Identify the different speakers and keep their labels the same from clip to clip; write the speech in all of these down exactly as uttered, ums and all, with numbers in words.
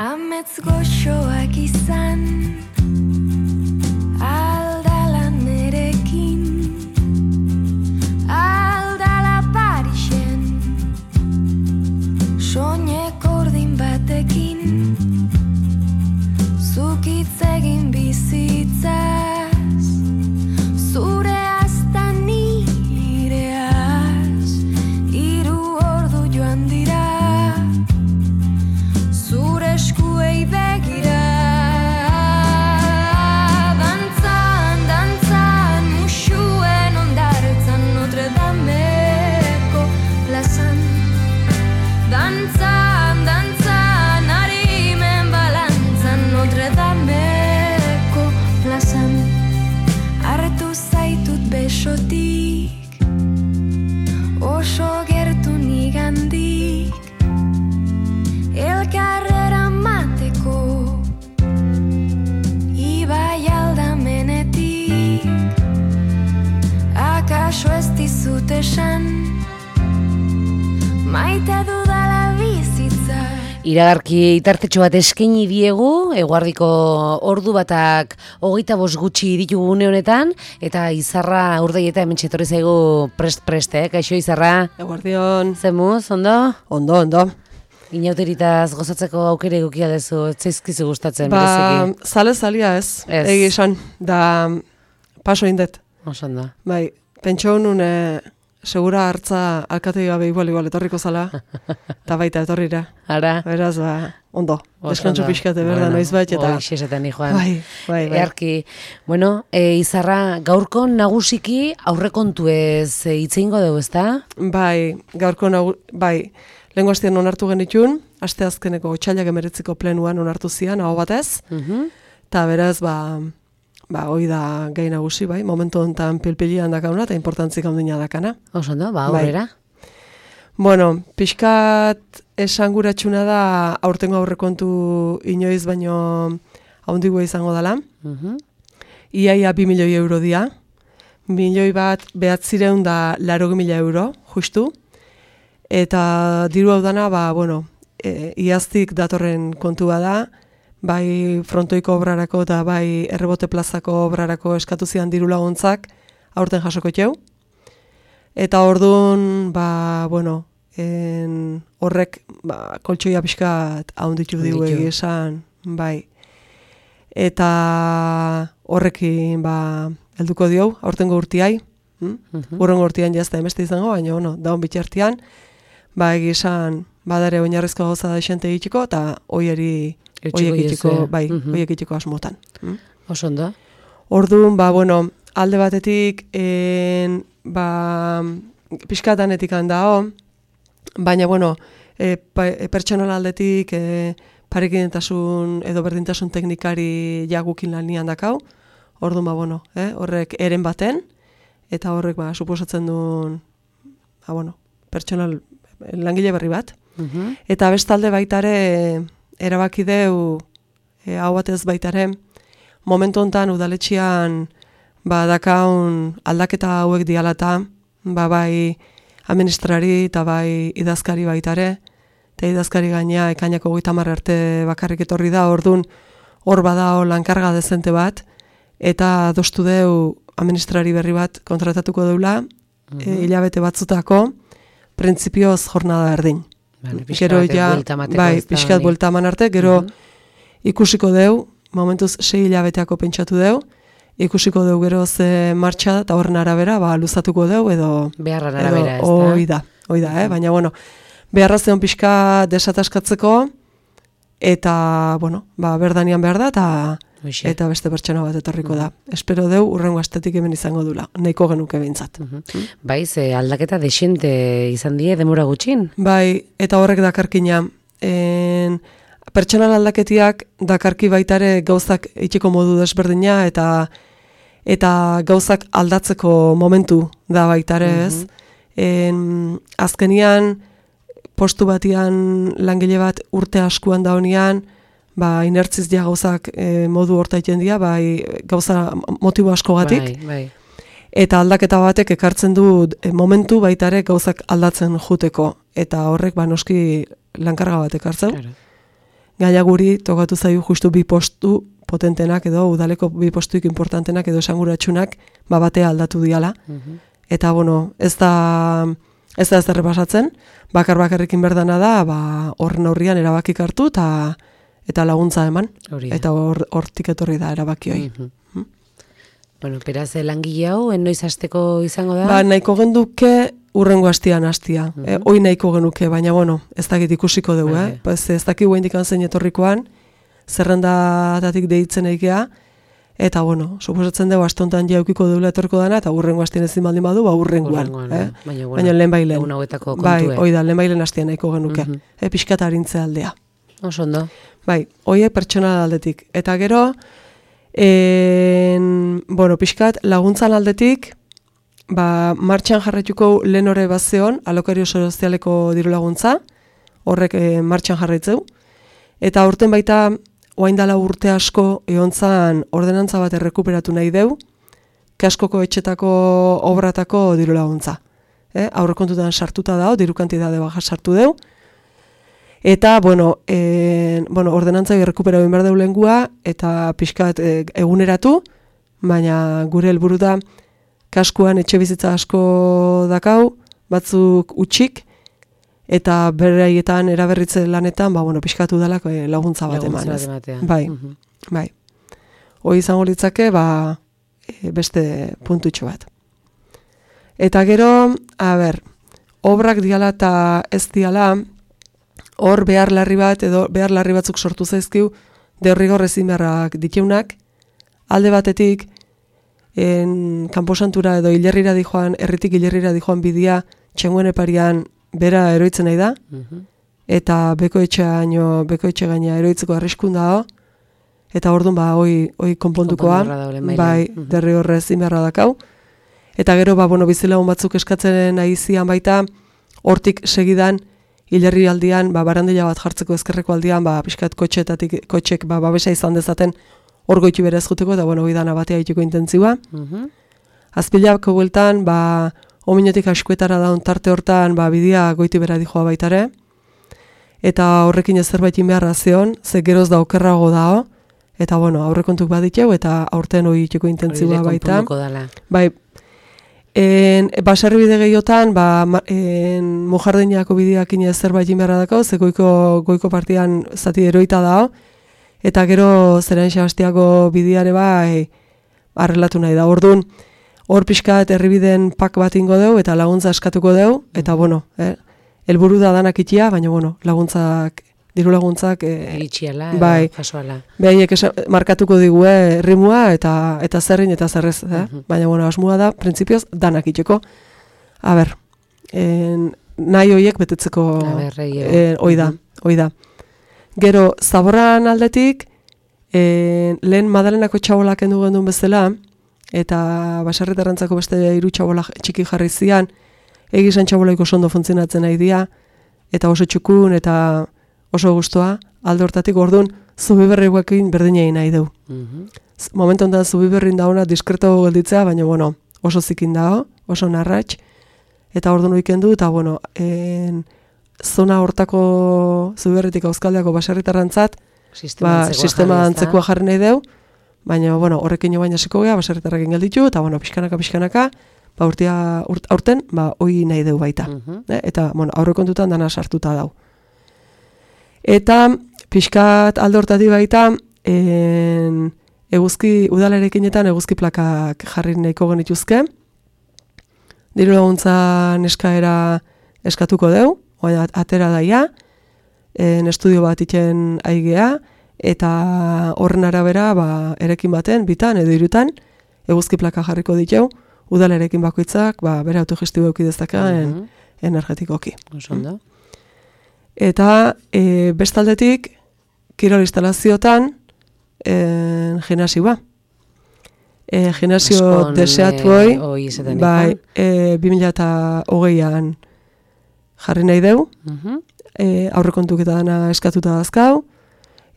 Speaker 1: Amets goxoak izan aldala nerekin, aldala Parisen soineko urdin batekin, zuk hitz egin bizitzaz, zure azta nireaz, hiru ordu joan dira zure eskuei begira. Dantzan, dantzan, musuen ondartzan Notre Dameko plazan. Dantzan, dantzan, harimen balantzan Notre Dameko plazan. Hartu zaitut besotik, oso gertu nigandik, elkarrera mateko, ibai aldamenetik, akaso ez dizut esan, maite dudala bizitza.
Speaker 2: Iragarki itartetxo bat eskaini diegu, eguardiko ordu batak hogeita bost gutxi ditugu une honetan, eta Izarra urdei eta hemen txetorri zaigu prest-prest, eh? Kaixo Izarra?
Speaker 3: Eguardion.
Speaker 2: Zemuz, ondo?
Speaker 3: Ondo, ondo.
Speaker 2: Inauteritaz gozatzeko aukere egukia dezu, etzaizkizu gustatzen,
Speaker 3: Ba,
Speaker 2: bereziki.
Speaker 3: zale zalia ez,
Speaker 2: Ez.
Speaker 3: egi esan, da paso indet.
Speaker 2: Osan da.
Speaker 3: Bai, pentsa honun e, segura hartza alkatei gabe igual igual etorriko zala, eta baita etorrira.
Speaker 2: Ara?
Speaker 3: Beraz, ba, ondo,
Speaker 2: Oso
Speaker 3: deskantzu
Speaker 2: ondo.
Speaker 3: pixkate, berda,
Speaker 2: Bueno,
Speaker 3: noiz bat, eta...
Speaker 2: hoi, xesetan ni joan.
Speaker 3: Bai, bai, bai.
Speaker 2: Earki, bueno, e, Izarra, gaurko nagusiki aurrekontu ez e, hitz egingo dugu, ezta?
Speaker 3: Bai, gaurko nagu, bai, lehenko astean onartu genitun, aste azkeneko otsailak emeretziko plenuan onartu zian, aho batez,
Speaker 2: Mhm.
Speaker 3: eta beraz, ba, ba, hoi da gai nagusi, bai, momentu honetan pilpilian dakauna, eta importantzik handina dakana.
Speaker 2: Oso ondo, ba,
Speaker 3: Bai.
Speaker 2: aurrera.
Speaker 3: Bueno, pixkat esanguratxuna da aurtengo aurrekontu inoiz baino haundigua izango dela.
Speaker 2: Mhm.
Speaker 3: Iaia bi milioi euro dia. Milioi bat behatzireun da laroge mila euro, justu. Eta diru hau dana, ba, bueno, e, iaztik datorren kontua da, bai frontoiko obrarako eta bai errebote plazako obrarako eskatu zian diru laguntzak aurten jasoko txeu. Eta orduan, ba, bueno, en, horrek ba, koltsoia pixkat haunditu digu
Speaker 2: Haunditu.
Speaker 3: egi esan, bai. Eta horrekin, ba, helduko diau, aurtengo urtiai, hm?
Speaker 2: Mhm.
Speaker 3: Urrengo urtian jazta emeste izango, baina, bueno, daun bitxartian, ba, egi esan, badare oinarrizko gauza da esente egiteko, eta hoieri,
Speaker 2: Eutxiko
Speaker 3: hoiek egiteko,
Speaker 2: diezue.
Speaker 3: bai,
Speaker 2: Mhm.
Speaker 3: hoiek egiteko asmotan. Hm?
Speaker 2: Oso ondo.
Speaker 3: Orduan, ba, bueno, alde batetik, en, ba, pixkatanetik handao, baina, bueno, e, pa, e, pertsonal aldetik e, parekidentasun edo berdintasun teknikari jagukin lanian dakau, orduan, ba, bueno, eh, horrek eren baten, eta horrek, ba, suposatzen duen, ba, bueno, pertsonal langile berri bat.
Speaker 2: Mhm.
Speaker 3: Eta bestalde baitare erabaki deu, e, hau batez baitare, momentu honetan udaletxean ba, dakaun aldaketa hauek dialata, ba, bai administrari eta bai idazkari baitare, eta idazkari gaina ekainako hogeita hamar arte bakarrik etorri da, ordun hor badao lankarga dezente bat, eta adostu deu administrari berri bat kontratatuko deula, e, hilabete batzutako, printzipioz jornada erdin.
Speaker 2: Vale,
Speaker 3: Gero ja, bai, pixkat buelta eman arte, gero
Speaker 2: Mhm.
Speaker 3: ikusiko deu, momentuz sei hilabeteako pentsatu deu, ikusiko deu gero ze martxa da, eta horren arabera, ba, luzatuko deu, edo...
Speaker 2: Beharran arabera, ez da?
Speaker 3: Hoi da, hoi da, eh? Baina, bueno, beharra zeon pixka desataskatzeko, eta, bueno, ba, berdanian behar da, eta
Speaker 2: Hoxe.
Speaker 3: eta beste pertsona bat etorriko da. Espero deu, urrengo astetik hemen izango dula, nahiko genuke behintzat.
Speaker 2: Mhm. Bai, ze aldaketa desente izan die demora gutxin.
Speaker 3: Bai, eta horrek dakarkina, en, pertsonal aldaketiak dakarki baitare gauzak itxiko modu desberdina, eta eta gauzak aldatzeko momentu da baitare ez. En, azkenian, postu batian langile bat urte askuan da honian, ba, inertziz ja gauzak e, modu hortaiten dira, bai, gauza motibo askogatik.
Speaker 2: Bai, bai.
Speaker 3: Eta aldaketa batek ekartzen du e, momentu baitare gauzak aldatzen juteko. Eta horrek, ba, noski lankarga bat ekartzen.
Speaker 2: Claro.
Speaker 3: gaina guri tokatu zaio justu bi postu potentenak edo udaleko bi postuik importantenak edo esanguratsunak ba batea aldatu diala.
Speaker 2: Mhm.
Speaker 3: Eta bueno, ez da ez da zer pasatzen, bakar bakarrekin berdana da, ba horren aurrian erabakik hartu eta eta laguntza eman.
Speaker 2: Hori da.
Speaker 3: Eta hor hortik etorri da erabaki hori.
Speaker 2: Mhm. Bueno, beraz, langile hau, noiz hasteko izango da?
Speaker 3: Ba, nahiko genduke urrengo astian hastia.
Speaker 2: Mhm.
Speaker 3: Eh, hoi nahiko genuke, baina bueno, ez dakit ikusiko dugu,
Speaker 2: Bai.
Speaker 3: eh? Pues ez dakit guendikan zein etorrikoan, zerrendatatik deitzen eikea, eta bueno, suposatzen dugu astontan jaukiko deula etorko dana, eta urrengo astian ezin baldin badu, ba urrengoan.
Speaker 2: Urrengoan,
Speaker 3: Eh?
Speaker 2: Baina, bueno,
Speaker 3: Baina lehen bailen.
Speaker 2: egun hauetako
Speaker 3: Bai,
Speaker 2: kontue.
Speaker 3: hoi da, lehen bailen astian nahiko genuke.
Speaker 2: Mhm.
Speaker 3: Eh, pixkat arintze aldea.
Speaker 2: Oso ondo.
Speaker 3: Bai, hoiek pertsonal aldetik. Eta gero, en, bueno, pixkat laguntzan aldetik, ba, martxan jarraituko lehen hori bazeon, alokario sozialeko diru laguntza, horrek e, martxan jarraitzeu. Eta urten baita, oain dala urte asko, eontzan ordenantza bat errekuperatu nahi deu, kaskoko etxetako obratako diru laguntza. Eh? Aurrekontutan sartuta dao, diru kantidade baja sartu deu. Eta, bueno, e, bueno ordenantza errekuperatu behar deu lengua, eta pixkat e, eguneratu, baina gure helburu da, kaskuan etxe bizitza asko dakau, batzuk utxik, eta beraietan eraberritze lanetan, ba, bueno, pixkatu dalako e, laguntza bat eman.
Speaker 2: Laguntza bat ematea.
Speaker 3: Bai,
Speaker 2: Mhm.
Speaker 3: bai. Hoi izango litzake, ba, e, beste puntutxo bat. Eta gero, a ber, obrak diala eta ez diala, hor behar larri bat, edo behar larri batzuk sortu zaizkiu, derrigor ezin beharrak diteunak, alde batetik, en kanposantura edo hilerrira dijoan, erritik hilerrira dijoan bidia, txenguen eparian bera eroitzen nahi da,
Speaker 2: Mhm.
Speaker 3: eta beko etxeaino, beko etxe gaina eroitzeko arriskun dago, eta orduan ba, hoi, hoi konpontukoa,
Speaker 2: Konpondu beharra dago lehenbailen.
Speaker 3: bai,
Speaker 2: Mhm.
Speaker 3: derrigorrez inberra dakau. Eta gero, ba, bueno, bizilagun batzuk eskatzen nahi zian baita, hortik segidan, hilerri aldian, ba, barandila bat jartzeko ezkerreko aldian, ba, pixkat kotxetatik, kotxek, ba, babesa izan dezaten, hor goitu bere ezkuteko, eta, bueno, hoi dana batea itiko intentzioa.
Speaker 2: Mhm.
Speaker 3: Azpilako bueltan, ba, ominotik askuetara daun tarte hortan, ba, bidia goitu bera dijoa baitare, eta horrekin ez zerbait inbeharra zeon, ze geroz da okerrago dao, eta, bueno, aurrekontuk baditeu, eta aurten hoi itiko
Speaker 2: Hori
Speaker 3: intentzioa
Speaker 2: ere
Speaker 3: baita.
Speaker 2: konponduko dala.
Speaker 3: Bai, en, baserribide gehiotan, ba, ma- en, mujardinako bideak ine zerbait inbeharra dako, ze goiko, goiko partian zati eroita dao, eta gero zeren Sebastiako bideare bai arrelatu nahi da. Orduan, hor pixkat herribiden pak bat ingo deu, eta laguntza eskatuko deu, eta bueno, eh, helburu da danak itia, baina bueno, laguntzak, diru laguntzak, eh,
Speaker 2: Iritxiala,
Speaker 3: bai.
Speaker 2: jasoala.
Speaker 3: behaiek esa- markatuko digue rimua eta eta zerrin eta zerrez, eh?
Speaker 2: Mhm.
Speaker 3: Baina bueno, asmoa da printzipioz danak itxeko. A ber, en, nahi hoiek betetzeko
Speaker 2: A ber, egia.
Speaker 3: eh, hoi da,
Speaker 2: Mhm.
Speaker 3: hoi da. Gero, zaborran aldetik, en, lehen Madalenako txabolak kendu gendun bezala, eta baserritarrantzako beste hiru txabola txiki jarri zian, egizan txabolaiko oso ondo funtzionatzen nahi dira, eta oso txukun, eta oso gustoa, alde hortatik orduan, zubiberrikoekin berdinei nahi deu.
Speaker 2: Mhm.
Speaker 3: Z- Momentu honetan zubiberrin dauna diskreto gelditzea, baina bueno, oso zikin dago, oso narratx, eta orduan oiken du, eta bueno, en, zona hortako zubiberritik Euskaldiako baserritarrantzat,
Speaker 2: Sistema
Speaker 3: ba,
Speaker 2: antzekoa
Speaker 3: sistema
Speaker 2: jarri, ezta?
Speaker 3: antzekoa jarri nahi deu, baina bueno, horrekin jo baina hasiko gea, baserritarrekin gelditu, eta bueno, pixkanaka, pixkanaka, ba, urtia, urt, aurten, ba, hoi nahi deu baita.
Speaker 2: Mhm.
Speaker 3: Eh, eta, bueno, aurrekontutan dana sartuta dau. Eta, pixkat alde hortatik baita, en, eguzki, udalarekinetan eguzki plakak jarri nahiko genituzke. Diru laguntza eskaera eskatuko deu, oain atera daia, en estudio bat iten aigea, eta horren arabera, ba, erekin baten, bitan edo irutan, eguzki plaka jarriko ditu, udalarekin bakoitzak, ba, bere autogestibo euki dezakaen
Speaker 2: Mhm.
Speaker 3: energetikoki.
Speaker 2: Oso ondo.
Speaker 3: Eta e, bestaldetik, kirol instalaziotan, e, gimnasioa. E, gimnasio
Speaker 2: Askon,
Speaker 3: deseatu
Speaker 2: eh,
Speaker 3: hoi,
Speaker 2: hoi izaten
Speaker 3: bai,
Speaker 2: diko.
Speaker 3: e, bi mila hogeian jarri nahi deu,
Speaker 2: Mhm.
Speaker 3: e, aurrekontuk eta dana eskatuta dazkau,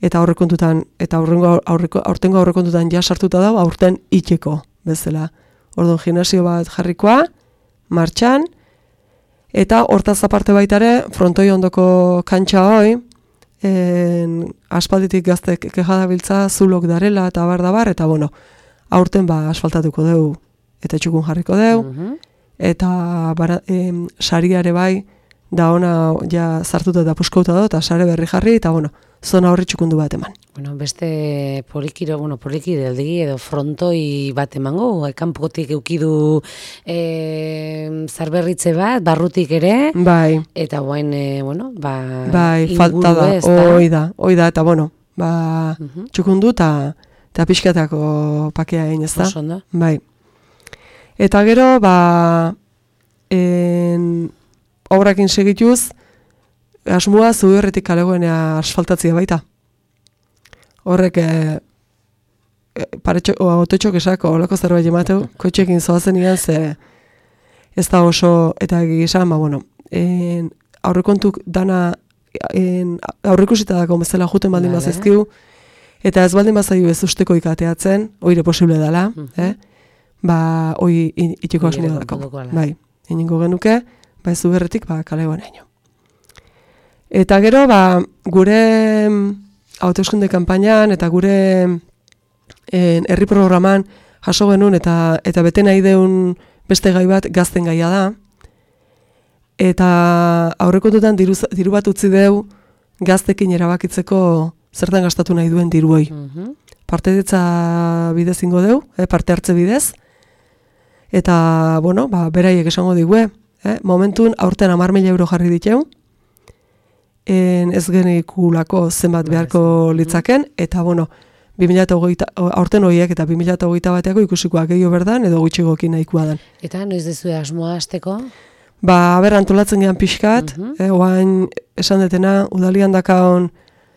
Speaker 3: eta aurrekontutan, eta aurrengo, aurreko, aurtengo aurrekontutan ja sartuta dago, aurten itxeko bezala. Orduan, gimnasio bat jarrikoa, martxan, eta hortaz aparte baitare, frontoi ondoko kantxa hoi, en, aspalditik gaztek kejadabiltza, zulok darela, eta bar, da bar, eta bueno, aurten ba asfaltatuko dugu, eta txukun jarriko dugu,
Speaker 2: Mhm.
Speaker 3: eta bara, em, sariare bai, da ona ja sartuta eta puskauta da, eta sare berri jarri, eta bueno, zona horri txukundu bat eman.
Speaker 2: Bueno, beste polikiro, bueno, polikiro aldegi edo frontoi bat emango, kanpotik eukidu e, zarberritze bat, barrutik ere,
Speaker 3: Bai,
Speaker 2: eta guain, e, bueno, ba,
Speaker 3: bai,
Speaker 2: inguru
Speaker 3: falta da,
Speaker 2: ez da.
Speaker 3: hoi da, hoi da, eta bueno, ba,
Speaker 2: Mhm.
Speaker 3: txukundu eta eta pixkatako pakea egin, ez da?
Speaker 2: Oso ondo.
Speaker 3: Bai. Eta gero, ba, en, obrakin segituz, asmoa Zuberretik kalegoenea asfaltatzea baita. Horrek, e, e, paretxo, o, autotxok esako, olako zerbait emateu, kotxekin zoazen ian, ze ez da oso, eta gizan, ba, bueno, en, aurrekontuk dana, en, aurreikusita dako bezala juten baldin
Speaker 2: Vale.
Speaker 3: bazizkiu, eta ez baldin bazaiu ez usteko ikateatzen, oire posible dela,
Speaker 2: Mhm.
Speaker 3: eh? Ba, hoi in- itiko
Speaker 2: Hoi
Speaker 3: asmoa
Speaker 2: ere
Speaker 3: dako.
Speaker 2: konponduko ala.
Speaker 3: Bai, iningo genuke, ba ez Zuberretik, ba, kalegoan eino. Eta gero, ba, gure mm, hauteskunde kanpainan eta gure en, herri programan jaso genuen eta eta bete nahi deun beste gai bat gazten gaia da. Eta aurrekontutan diru, diru bat utzi deu gaztekin erabakitzeko zertan gastatu nahi duen diruoi.
Speaker 2: Mhm.
Speaker 3: Partedetza bidez ingo deu, eh, parte hartze bidez. Eta, bueno, ba, beraiek esango digue, eh? Momentun aurten hamar mila euro jarri diteu, en ez genikulako zenbat beharko litzaken, eta, bueno, bi mila hogeita, aurten horiek eta bi mila hogeita bateako ikusikoak gehiago berdan, edo gutxigokin nahikoa dan.
Speaker 2: Eta noiz dezu asmoa hasteko?
Speaker 3: Ba, ber, antolatzen gehan pixkat,
Speaker 2: Mhm.
Speaker 3: eh, oain esan detena, udalian dakaon,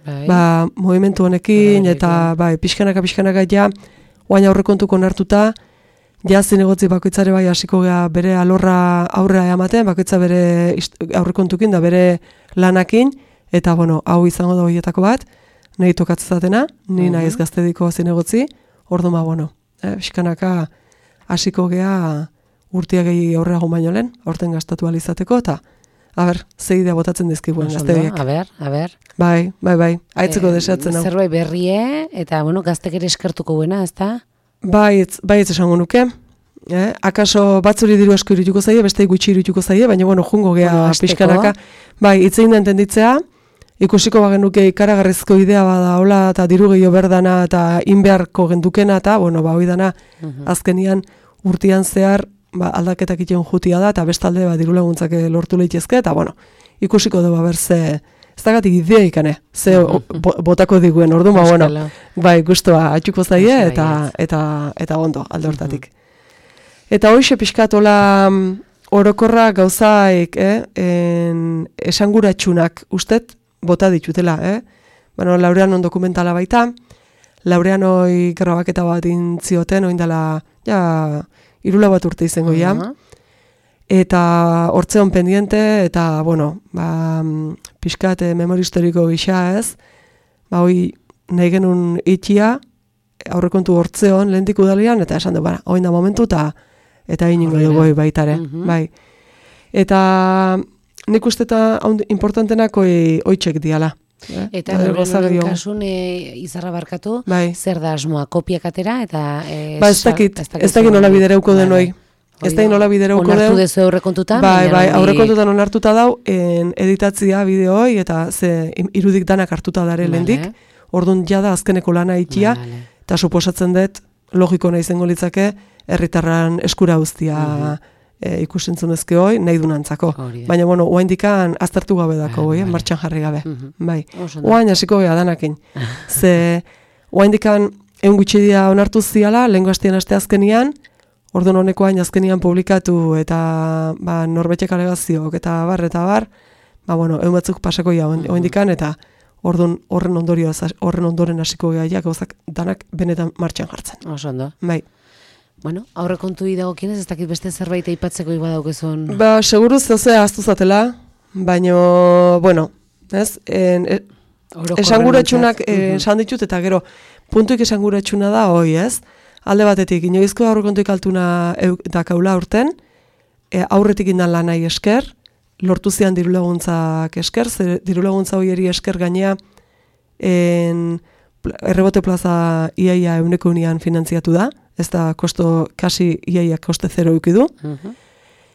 Speaker 2: Bai.
Speaker 3: ba, movimentu honekin,
Speaker 2: Bai,
Speaker 3: eta bai, pixkanaka pixkanaka ja, oain aurrekontuko onartuta, ja zinegotzi bakoitzare bai hasiko gea bere alorra aurrea ematen, bakoitza bere ist- aurrekontukin da bere lanakin, eta bueno, hau izango da horietako bat, nahi tokatzatena, ni
Speaker 2: Mhm.
Speaker 3: naiz gaztediko zinegotzi, ordu ma, bueno, eh, pixkanaka hasiko gea urtia gehi aurreago baino lehen, aurten gastatu alizateko, eta a ber, ze idea botatzen dizkiguen
Speaker 2: Oso ondo,
Speaker 3: gazteek.
Speaker 2: a ber, a ber.
Speaker 3: Bai, bai, bai, aitzeko
Speaker 2: Eh,
Speaker 3: deseatzen hau.
Speaker 2: Zerbait berrie, eta, bueno, gaztek ere eskertuko buena, ez da?
Speaker 3: Bai, ez, bai ez esango nuke. Eh? Akaso batzuri diru asko irituko zaie, beste gutxi irituko zaie, baina bueno, jungo gea
Speaker 2: Bueno, hasteko.
Speaker 3: pixkanaka. Bai, itzein da entenditzea, ikusiko bagenuke ikaragarrizko idea bada hola, eta diru gehiago berdana, eta inbeharko gendukena, eta, bueno, ba, hoi dana,
Speaker 2: Mhm.
Speaker 3: azkenian urtean zehar, ba, aldaketak iten jutia da, eta bestalde, ba, diru laguntzak lortu leitezke, eta, bueno, ikusiko dugu, ber, ze, ez dagatik idea ikane, ze o- bo, botako diguen, ordu, ba, bueno,
Speaker 2: Euskalo.
Speaker 3: bai, guztua atxuko zaie,
Speaker 2: Oso
Speaker 3: eta,
Speaker 2: baietz.
Speaker 3: eta, eta ondo, alde hortatik. Eta hoxe pixkatola orokorra gauzaik, eh? En, esanguratsunak ustet, bota ditutela, eh? Bueno, Laureanon dokumentala baita, Laureanoi grabaketa bat intzioten, oindala, ja, irula bat urte izango ja,
Speaker 2: Aha.
Speaker 3: eta hortzeon pendiente, eta, bueno, ba, pixkat eh, memoria historiko gisa ez, ba, hoi nahi genuen itxia, aurrekontu hortzeon, lehentik udalian, eta esan du, bara, oin da momentu, eta eta iningo
Speaker 2: Horrela.
Speaker 3: dugu baitare,
Speaker 2: Mhm.
Speaker 3: bai. Eta nik uste eta importantenak oi, oitxek diala. Eh?
Speaker 2: Eta
Speaker 3: Ba, goza
Speaker 2: horren
Speaker 3: gehiago.
Speaker 2: kasun e, izarra barkatu,
Speaker 3: Bai.
Speaker 2: zer da asmoa, kopiak atera, eta... E,
Speaker 3: Ba, ez dakit, ez dakit nola bidereuko den hoi. Ez dakit nola bidereuko
Speaker 2: Onartu
Speaker 3: den.
Speaker 2: dezu aurrekontutan,
Speaker 3: Bai,
Speaker 2: baina
Speaker 3: bai,
Speaker 2: hori-
Speaker 3: aurrekontutan onartuta dau, en editatzia bideoi, eta ze im- irudik danak hartuta dare
Speaker 2: Vale.
Speaker 3: lehendik, orduan jada azkeneko lana itxia,
Speaker 2: Vale.
Speaker 3: eta suposatzen dut, logiko nahi zengo litzake, herritarran eskura guztia
Speaker 2: Mhm.
Speaker 3: e, ikusentzunezke hoi, nahi dunantzako.
Speaker 2: Hori da.
Speaker 3: Baina, bueno, oaindikan aztertu gabe dako,
Speaker 2: Vale,
Speaker 3: hoi, eh,
Speaker 2: vale.
Speaker 3: martxan jarri gabe.
Speaker 2: Mhm.
Speaker 3: Bai.
Speaker 2: Oso ondo.
Speaker 3: Oain hasiko gea danakin. Ze, oaindikan egun gutxi dia onartu ziala, lehengo hastean aste azkenian, orduan honeko hain azkenian publikatu, eta ba, norbetek alegazioak, eta bar, eta bar, ba, bueno, egun batzuk pasako ja
Speaker 2: Mhm.
Speaker 3: oaindikan, eta orduan horren ondorio, horren ondoren hasiko gea, ja, gauzak danak benetan martxan jartzen.
Speaker 2: Oso ondo.
Speaker 3: Bai.
Speaker 2: Bueno, aurrekontu dagokienez, ez dakit beste zerbait aipatzeko iba daukezun.
Speaker 3: Ba, seguru zehozea ahaztu zatela, baino, bueno, ez, en, e,
Speaker 2: Orokorren
Speaker 3: esanguratsunak
Speaker 2: ontzat.
Speaker 3: eh,
Speaker 2: Mhm.
Speaker 3: esan ditut, eta gero, puntuik esanguratsuna da, hoi, ez? Alde batetik, inoizko aurrekontuik altuna dakaula urten, e, aurretik indan lanai esker, lortu zian dirulaguntzak esker, ze dirulaguntza hoieri esker gainea, en, errebote plaza iaia euneko unian finantziatu da, ez da kosto, kasi iaia koste zero eukidu. Uh-huh.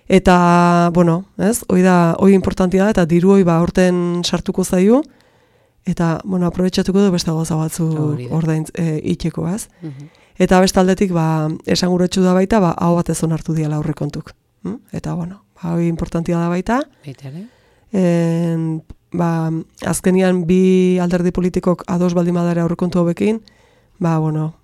Speaker 3: Eta, bueno, ez, hoi da, hoi importantia da, eta diru hoi ba horten sartuko zaio, eta, bueno, aprobetxatuko du beste gauza batzu ordain e, itxeko, ez? Uh-huh. Eta beste aldetik, ba, esanguretsu da baita, ba, hau batez onartu diala aurrekontuk. Hm? Eta, bueno, ba, hoi importantia da baita.
Speaker 2: Baitare.
Speaker 3: En, ba, azkenian bi alderdi politikok ados baldin badare aurrekontu hobekin, ba, bueno,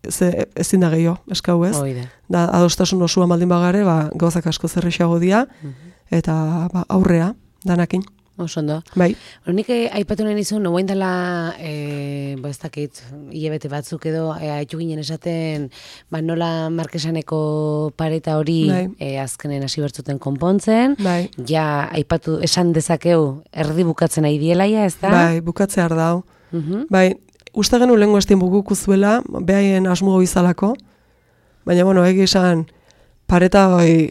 Speaker 3: ze, ezin da gehiago, eskau ez.
Speaker 2: Oida.
Speaker 3: Da, adostasun osua baldin bagare, ba, gauzak asko zerrexago dia, uh-huh. eta ba, aurrea, danakin.
Speaker 2: Osondo.
Speaker 3: Bai.
Speaker 2: Nik aipatu nahi nizun, noguain dela, e, ba ez dakit, hilabete batzuk edo, e, haitu ginen esaten, ba nola Markesaneko pareta hori
Speaker 3: bai.
Speaker 2: e, azkenen hasi bertzuten konpontzen,
Speaker 3: bai.
Speaker 2: ja aipatu esan dezakeu erdi bukatzen nahi dielaia, ez da?
Speaker 3: Bai, bukatzea ardau.
Speaker 2: Uh-huh.
Speaker 3: Bai, uste genu lehenko estin bukuku zuela, behaien asmo izalako, baina, bueno, egi esan, pareta hoi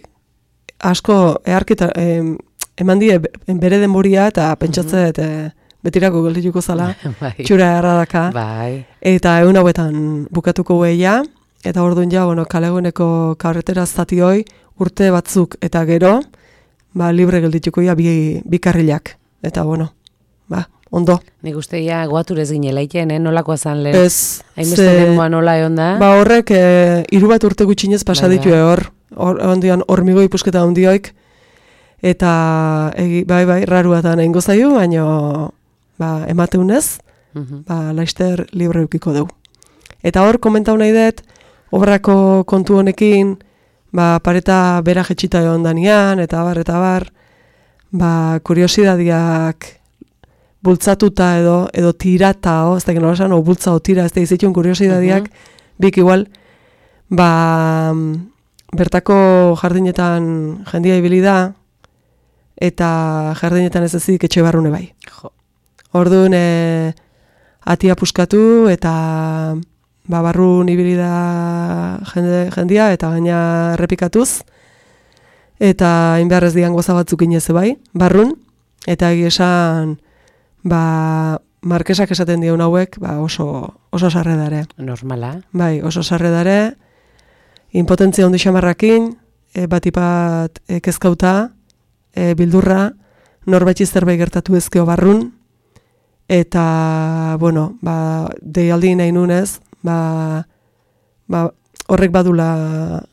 Speaker 3: asko eharkita, em, eman die bere denboria eta pentsatzet mm-hmm. e, betirako geldituko zala, bai. Txura erradaka,
Speaker 2: bai.
Speaker 3: Eta egun hauetan bukatuko gueia, eta orduan ja, bueno, kaleguneko karretera zati hoi, urte batzuk eta gero, ba, libre geldituko ja bi, bi karrilak, eta bueno, ba, ondo.
Speaker 2: Nik uste ja guaturez ginela iten, eh? Nolakoa zan lehen?
Speaker 3: Ez.
Speaker 2: Hainbeste denboa nola egon da?
Speaker 3: Ba, horrek, e, hiru bat urte gutxinez pasaditu hor, hor, ondian, hormigo ipusketa ondioik, eta egi, bai, bai, raruatan egingo zaio, baina ba, emateunez, uh-huh. ba, laister libre eukiko dugu. Eta hor, komentau nahi dut, obrako kontu honekin, ba, pareta bera jetxita egon danian, eta bar, eta bar, ba, kuriosidadiak bultzatuta edo, edo tirata, o, ez da geno esan, o bultza o tira, ez da izituen kuriosidadiak, uh-huh. bik igual, ba, bertako jardinetan jendia ibili da, eta jardinetan ez ezik etxe barrune bai.
Speaker 2: Jo.
Speaker 3: Orduan, e, atia puskatu, eta ba, barrun ibili da jende, jendia, eta gaina errepikatuz, eta inbeharrez dian goza batzuk inez bai, barrun, eta egia esan, ba, Markesak esaten dion hauek, ba, oso, oso sarre dare.
Speaker 2: Normala.
Speaker 3: Bai, oso sarre dare, impotentzia ondi xamarrakin, e, batipat e, kezkauta, E, bildurra, norbaitzi zerbait gertatu ezkeo barrun, eta, bueno, ba, deialdi nahi nunez, ba, ba, horrek badula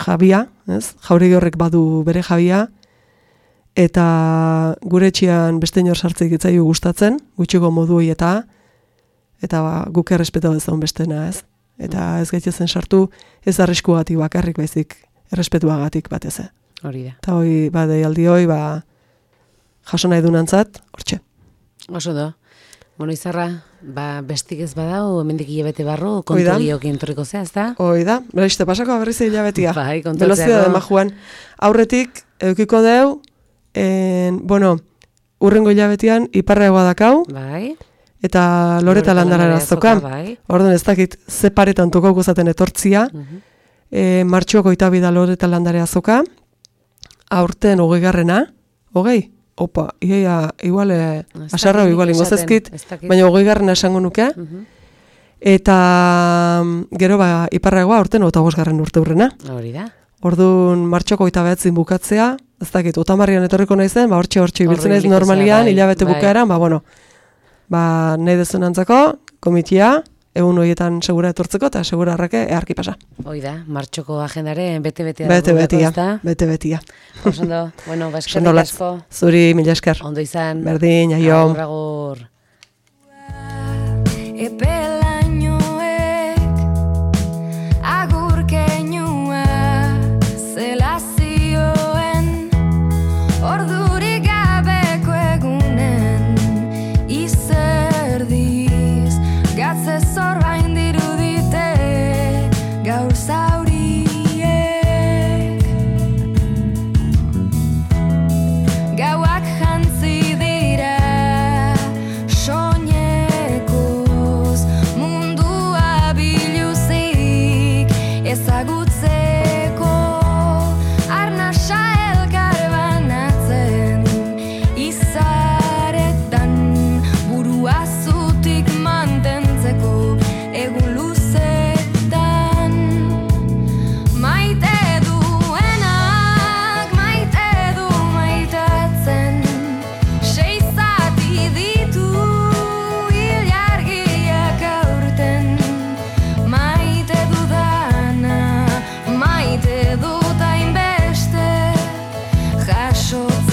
Speaker 3: jabia, ez? Jauregi horrek badu bere jabia, eta gure etxean beste inor sartzeik itzaiu gustatzen, gutxiko modu eta, eta ba, guk errespetau ez daun bestena, ez? Eta ez gaitezen sartu, ez arriskuagatik bakarrik baizik, errespetuagatik batez.
Speaker 2: Hori da.
Speaker 3: Eta hoi, ba, deialdi hoi, ba, jaso nahi dunantzat, hortxe.
Speaker 2: Oso da. Bueno, Izarra, ba, bestik ez badau, hemendik hilabete barru, kontu giokin torriko zea, ez da? Hoi
Speaker 3: da, beraizte pasako berriz hilabetia.
Speaker 2: Bai, kontu
Speaker 3: Velocidade de Majuan. Aurretik, eukiko deu, en, bueno, urrengo hilabetian, iparragoa dakau,
Speaker 2: bai.
Speaker 3: Eta Loreta Landara azoka.
Speaker 2: Bai.
Speaker 3: Orduan ez dakit, ze paretan tokauko zaten etortzia, uh-huh. e, martxuako itabida Loreta Landara azoka, aurten hogei garrena, hogei? Opa, iaia, igual, e, asarra igual ingozezkit, baina hogei garrena esango nuke. Uh-huh. Eta gero ba, iparragoa aurten eta bosgarren urte hurrena.
Speaker 2: Hori da.
Speaker 3: Orduan martxoko eta behatzin bukatzea, ez dakit, otamarrian etorriko naizen, ba hortxe hortxe ibiltzen naiz normalian, bai, hilabete bai. Bukaeran, ba bueno, ba nahi dezunantzako, komitia, egun horietan segura etortzeko eta segura arrake eharki pasa. Hoi da, martxoko agendaren bete-betea. Bete-betia, bete-betia.
Speaker 2: Osondo, bueno, ba eskerrik asko.
Speaker 3: Zuri, mila esker.
Speaker 2: Ondo izan.
Speaker 3: Berdin, aio.
Speaker 2: Agur, agur.
Speaker 1: jasotze